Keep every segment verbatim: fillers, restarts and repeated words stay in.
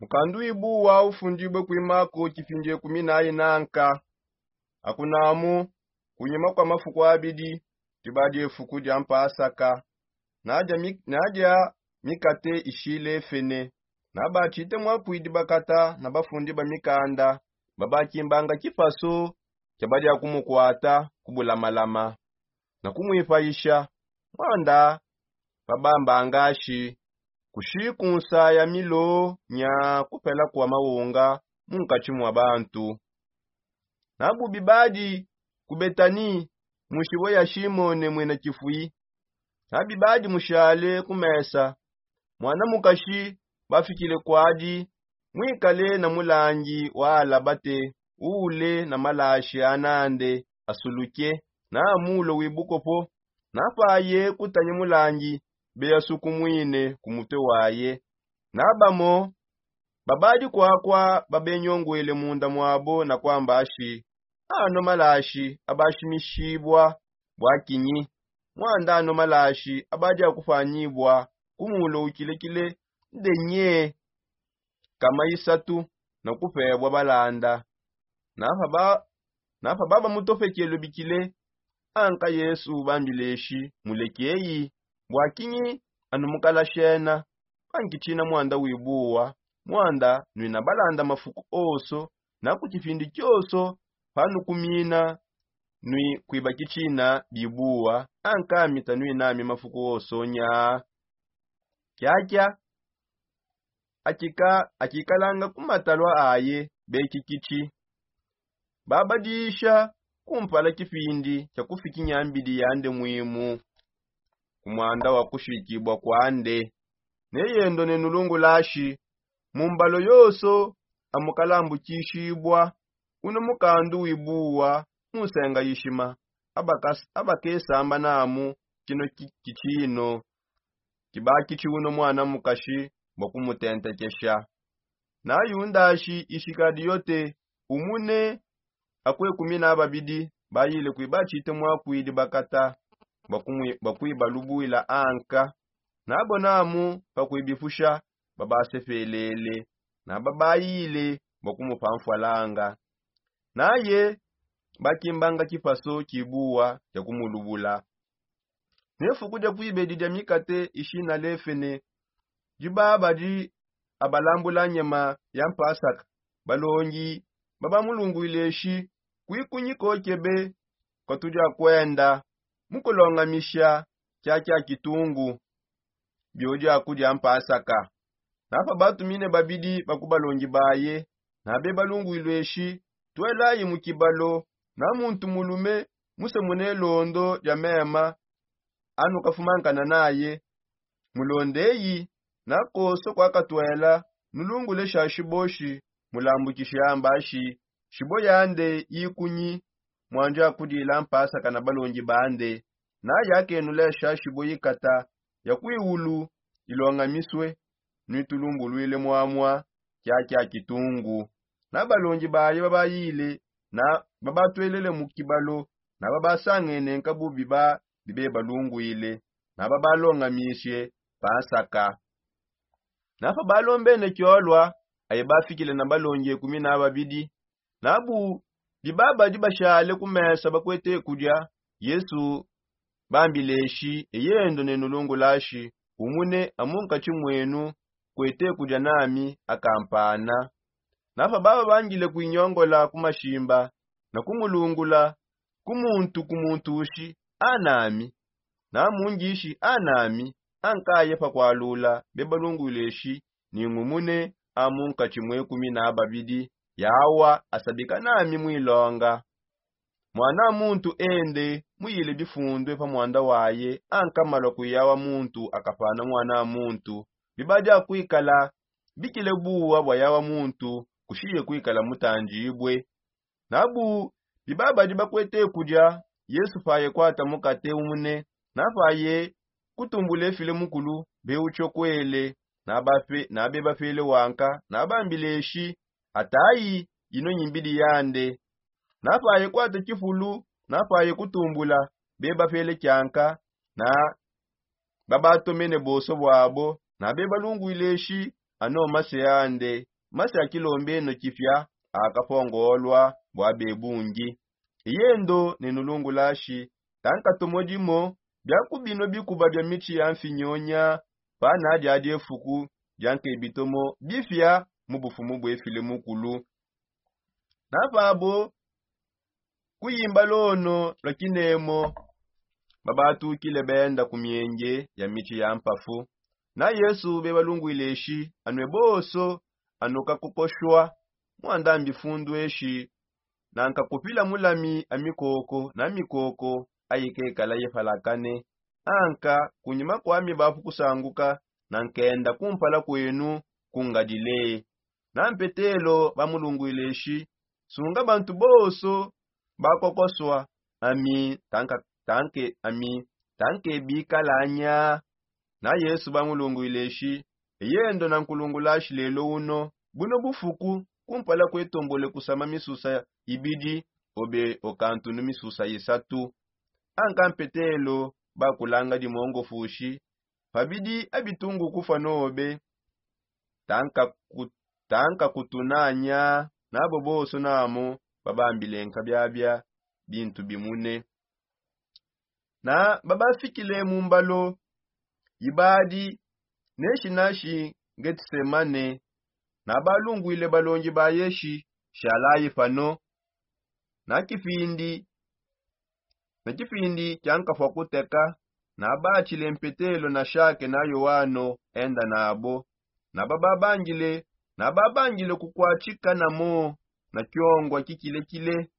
Mukandu wibuwa ufundibue kui mako kipindi ekumi nayi nanka. Akunamu, kunyima kua mafuku abidi, diba diefuku dia mpasaka, nadia mikate ishilefene. Nabatshite muakuidi bakata na bafundi ba mikanda, babakimbanga kipasu kia badia kumukuata ku bulamalama na kumuipayisha. Muanda babambangashi kushi kunsaya milo nya kupela kua mawunga munkatshi mua bantu. Nabu bibadi ku Betani, mu nshibue ya Shimone muena kifui. Nabibadi mushale ku mesa, muana mukashi bafikile kuadi, muikale na mulangi wa alabate, uule na malashi anande asuluke, na mulo wibukopo. Napaye kutanye mulangi, beyasukumwine ku mutue waye. Nabamo babadi kuakua babenyonguele munda muabo na kuamba ashi: Ano malashi abashimishibua bua kinyi? Muanda ano malashi abadi akupanyibua ku mulo ukilekile ndenye kama isatu na kupebua balanda. Napa babamutopekele bikile, anka Yesu bambileshi: Mulekeyi. Bua kinyi anu mukalashena? Pankitshina muanda wibuwa, muanda nuina balanda mafuku onso, na ku tshipindi tshionso panukumina nui kuibakitshina bibuwa, anka mita nuinami mafuku onso nya. Kiakia akikalanga ku matalua aye bekikitshi, babadisha kumpala kipindi kia kufikinya mbidi yande muimu ku muanda wa kushikibua kuande. Neyendo ne nulungulashi mu mbalo yonso amukalambukishibua uno mukandu wibuwa mu nsenga ishima, abakesamba namu kino kitshino kibakitshi uno muana mukashi bua kumutentekesha. Na Yundashi Isikadiote, umune akue kumi na babidi, bayile kuiba tshite muakuidi bakata bua kuibalubuila anka. Nabo namu pa kuibipusha babasepelele, na babayile bua kumupa mfualanga. Naye bakimbanga kipaso kibuwa kia kumulubula. Ne fuku dia kuibedi dia mikate ishina lefene, diba badi abalambula nyema ya mpasaka, balongi babamulunguileshi: Kuikunyi kokebe kua tudia kuenda mukulongamisha kiakia kitungu biodi akudia mpasaka? Napa batumine babidi ba ku balongi baye, na bebalunguilueshi: Tuelayi mu kibalo na muntu mulume muse mune londo dia mema anukafumankana naye. Mulondeyi, na konso kuakatuela, nulungule sha shiboshi, mulambukishe ambashi shibo yande ikunyi, muanji akudila mpasaka na balongi bande. Naye akenulesha shibo ikata ya kuiulu ilongamisue, nuitulumbuluile muamua kiakia kitungu. Na balongi baye babayile, na babatuelele mu kibalo, na babasangene nkabu biba bibebalunguile, na babalongamishe pa nsaka. Napa balombene kiolua, aye bafikile na balongi ekumi na babidi. Nabu biba badi bashale ku mesa bakuete kudia, Yesu bambileshi: Eyendo ne nulungulashi, umune amunkatshi muenu kuete kudia nami akampana. Napa bababangile kuinyongola ku mashimba na kumulungula ku muntu ku muntu ushi: Anami, na mungishi: Anami. Ankaye pa kualula bebalunguileshi: Ningumune amunkatshi mue kumi na babidi, yawa asabika nami muilonga. Muana muntu ende muyile bifundue pa muanda waye, anka malua kuyawa muntu akapana muana muntu. Bibadi akuikala bikile buwa bua yawa muntu kushiye kuikala mutandibue. Nabu biba badi bakuete kudia, Yesu paye kuata mukate umune, napaye kutumbula efile mukulu, bewutshiokuele, na bebapele wanka, na bambileshi: Atayi, ino nyi mbidi yande. Napaye kuata kifulu, napaye kutumbula, bebapele kianka, na babatomene bonso buabo, na bebalunguileshi: ano mase ande, mase a kilombeno kipia akapongolwa bwa bebungi. Iyendo nenulungulashi tanka tomo dimo bia ku bino bikuba bia mitshi ya mfinyonya, pana dia diefuku dia nkebitomo bifia mu bufumu bwefile mukulu. Navabo kuyimba lono lwa kinemo babatukile benda ku mienge ya mitshi ya mpafu. Na yesu bebalungwileshi anwe boso, anokakokoshwa mwanda mbifundu eshi, nankakupila mulami amikoko na mikoko ayikekala yepalakane. Anka kunyima kwami bapu kusanguka, nankenda kumpala kwenu kungadile. Na mpetelo bamulungwile shi, sunga bantu bonso bakokoswa, ami tanka tanke ami tanke bikalanya. Na yesu bamulungwile shi, eyendo na nkulungula shi lelo uno, buno bufuku kumpala kwetombole kusama misusa ibidi obe okantunu misusa isatu. Anka mpetelo bakulanga dimongofushi, pabidi abitungu kufwa nobe tanka ku- tanka kutunanya. Nabo boso namo babambile nkabiabia bintu bimune. Na babafikile mu mbalo ibadi neshi nashi ngetisemane, na balungwile balongi ba yeshi shalayi pano. Na kipindi na kipindi kiankafwa kuteka, na batshile mpetelo na shake na yoano enda nabo. Na bababangile na babangile kukwatshika namo na kiongwa kikilekile.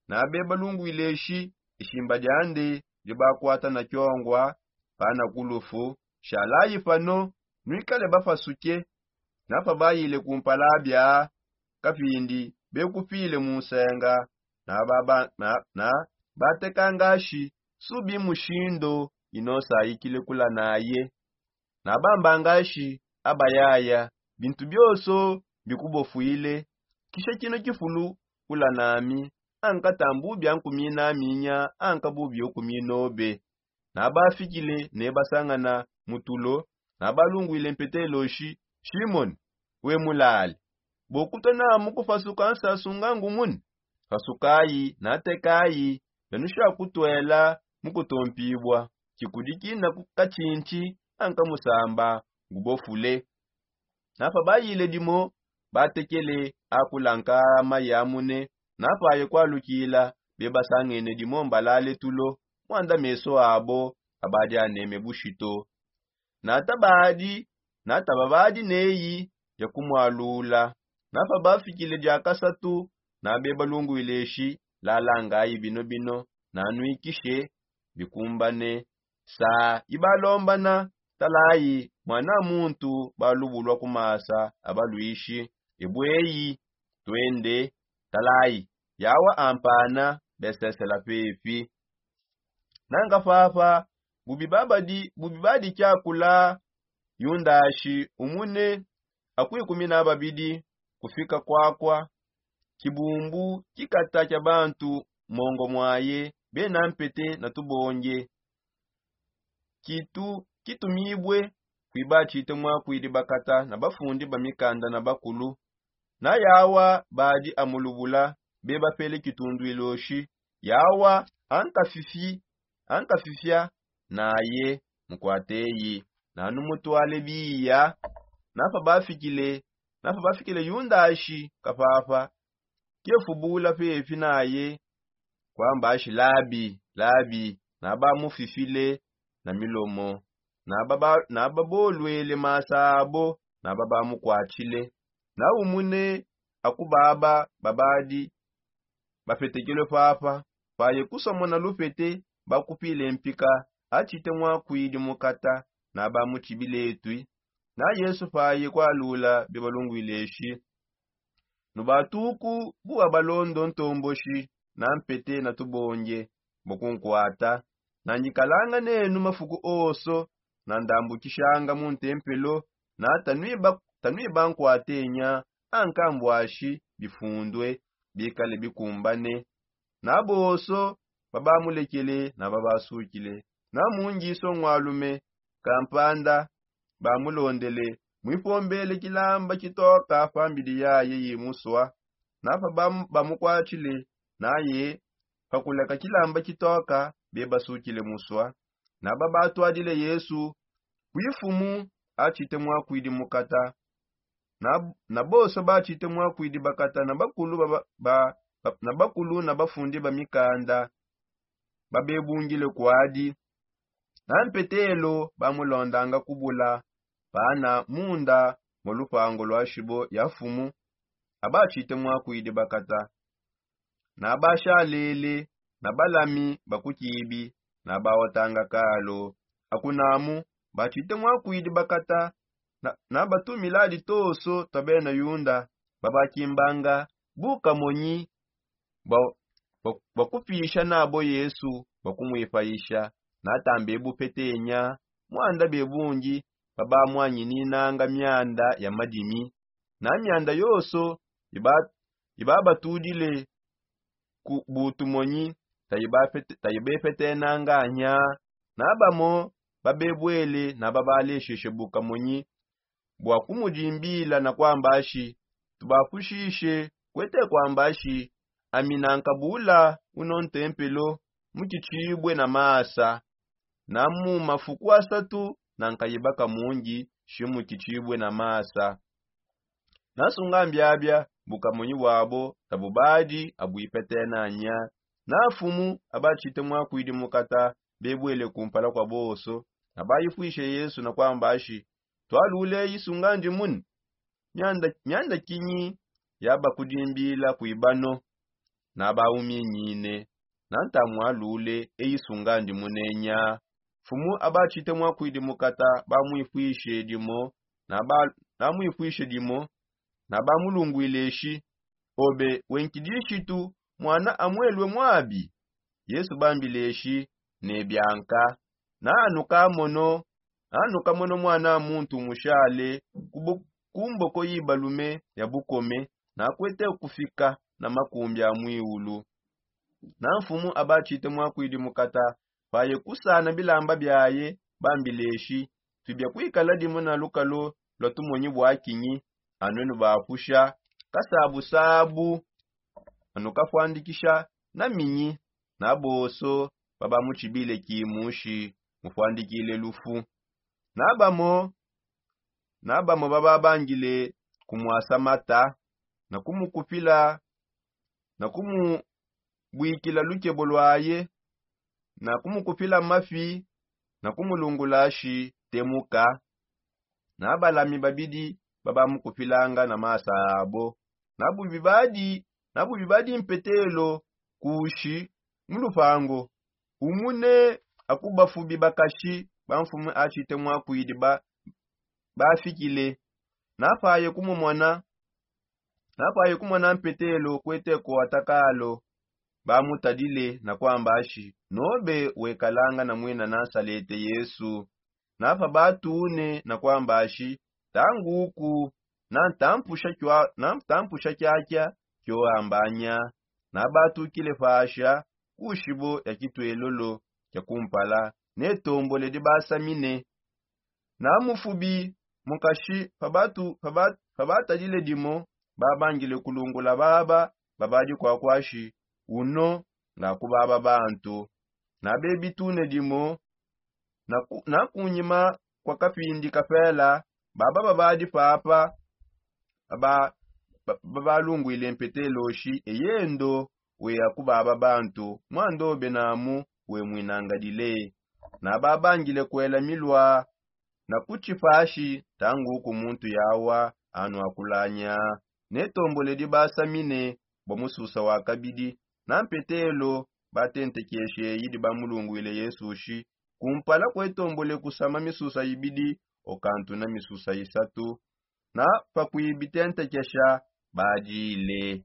Na bebalungwile shi ishimba diande dibakwata na kiongwa pana kulufu. Shalayi pano nwikale bapasuke. Na pabayile kumpala bia kapindi bekupile mu nsenga, na baba na, na bateka ngashi subi mushindo ino sayikile kula naye. Na bamba ngashi abayaya bintu bioso bikubofwile. Kisha kino kifulu kula nami, anka tambu bia nkumina minya anka bubi okuminobe. Na bafikile ne basangana mutulo, na balungwile mpetelo shi, shimoni, we mulale, bokutona mukupasuka nsasunga ngumuni? Pasukayi na tekayi, nanusha kutwela mukutompibwa. Kikudiki na kukatshintshi anka musamba ngubofule. Na pabayile dimo batekele akula nkama yamune. Na paye kwalukila bebasangene dimo mbalale tulo, mwanda meso abo abadi aneme bushito. Na tabadi na tababadi neyi dia kumwalula. Na pabafikile dia kasatu, na bebalungwile shi, lalangayi bino bino, na nwikishe bikumbane. Sa ibalombana, talayi mwana muntu balubulwa ku masa abalwishi. Ebweyi twende, talayi yawa ampana besesela pepi. Nanga papa bubi babadi bubi badi kiakula yundashi umune akwikumina babidi kufika kwakwa kibumbu kikata kia bantu mongo mwaye bena mpete na tubonge. Kitu kitumibwe kwiba tshite mwakwidi bakata na bafundi ba mikanda na bakulu. Na yawa badi amulubula bebapele kitundwilo shi yawa ankafifi ankafifia naye mukwateyi nanu mutwale biya. Na pabafikile na pabafikile yundashi kapapa kefubula pepi naye kwamba shi labi labi. Na bamufifile na milomo na babolwele masa abo na babamukwatshile. Na umune akubaba babadi bapetekelwe papa paye kusomona lupete bakupile mpika atshite mwakwidi mukata na bamutshibile etwi. Na yesu paye kwalula bebalungwile shi nubatuku buwa balondo ntomboshi na mpete na tubonge bua kunkwata. Na ndikalanga nenu mafuku onso na ndambukishanga mu ntempelo na tanwiba nkwatenya anka mbwashi bifundue bikale bikumbane. Na bonso babamulekele na babasukile na mungiso ngwalume kampanda bamulondele muipombele kilamba kitoka pambidi yaye yimusua. Napa bamukwatshile naye pakuleka kilamba kitoka bebasukile musua. Naba batuadile yesu kuifumu atshite muakuidi mukata. Na bonso batshite muakuidi bakata na bakulu na bafundi ba mikanda babebungile kuadi. Na mpetelo bamulondanga kubula pana munda mu lupango lua shibo ya fumu. Abatshite muakuidi bakata na bashalele na balami ba kukibi na bawatanga kalo. Akunamu batshite muakuidi bakata na batumiladi toso tua bena yunda babakimbanga bukamonyi bua kupisha nabo yesu bua kumuipayisha. Natambe bupetenya muanda bebungi babamuanyininanga mianda ya madimi na mianda yonso ibabatudile ku butumonyi tayibepetenanga nya. Na bamo babebuele na babalesheshe bukamonyi bua kumudimbila na kuamba shi tubapushishe kuete kuamba shi ami nanka bula uno ntempelo mukitshibue na masa na mu mafuku asatu nanka ibaka mungi shimukitshibue na masa. Nasunga mbiabia bukamonyi buabo tabubadi abuipetena nya. Na fumu abatshite muakuidi mukata bebuele kumpala kua bonso na baifuishe yesu na kuamba shi tualule isunga ndimune. Mianda kinyi yabakudimbila kuibano? Na bauminyine na ntamualule eisunga ndimune nya. Fumu abatshite muakuidi mukata bamuifuishe dimo na bamuifuishe dimo na bamulunguile shi obe wenkidishitu muana amuelue muabi? Yesu bambile shi ne bianka na anuka mono na anuka mono muana muntu mushale ku mboko yibalume ya bukome na kuete kufika na makumbi a muiulu. Na mfumu abatshite muakuidi mukata paye kusana bilamba biaye bambile shi tubia kuikala dimo na lukalo lua tumonyi bua kinyi? Anu nubapusha kasabusabu anu kafuandikisha na minyi na bonso babamutshibile kimushi mufuandikile lufu. Na bamo na bamo bababangile kumuasa mata na kumukupila na kumubuikila lukebo luaye na kumukupila mafi na kumulungula shi temuka. Na balami babidi babamukupilanga na masa abo na bubi badi na bubi badi mpetelo kushi mu lupango umune akubafubi bakashi bamfumu atshite muakuidi bafikile. Napaye kumumona napaye kumona mpetelo kuete kuata kalo bamutadile na kuamba shi nobe wekalanga na muena nasalete yesu. Napa batune na kuamba shi tanguku na ntampusha kiakia kioambanya. Na batukile pasha ku shibo ya kituelolo kia kumpala ne tombole dibasamine. Na mufubi mukashi pabatadile dimo babangile kulungula baba babadi kuakua shi uno nga ku baba bantu. Na bebitune dimo na kunyima kua kapindi kapela baba babadi papa babalunguile mpetelo shi eyendo weya ku baba bantu muandobe namu wemuinangadile. Na babangile kuela milua na kutshipa shi tanguku muntu yawa anu akulanya ne tombole dibasamine bua mususa wa kabidi. Na mpetelo batentekeshe eyi dibamulunguile yesu shi kumpala kuetombole kusama misusa ibidi okantu na misusa isatu. Na pakuibitentekesha badile.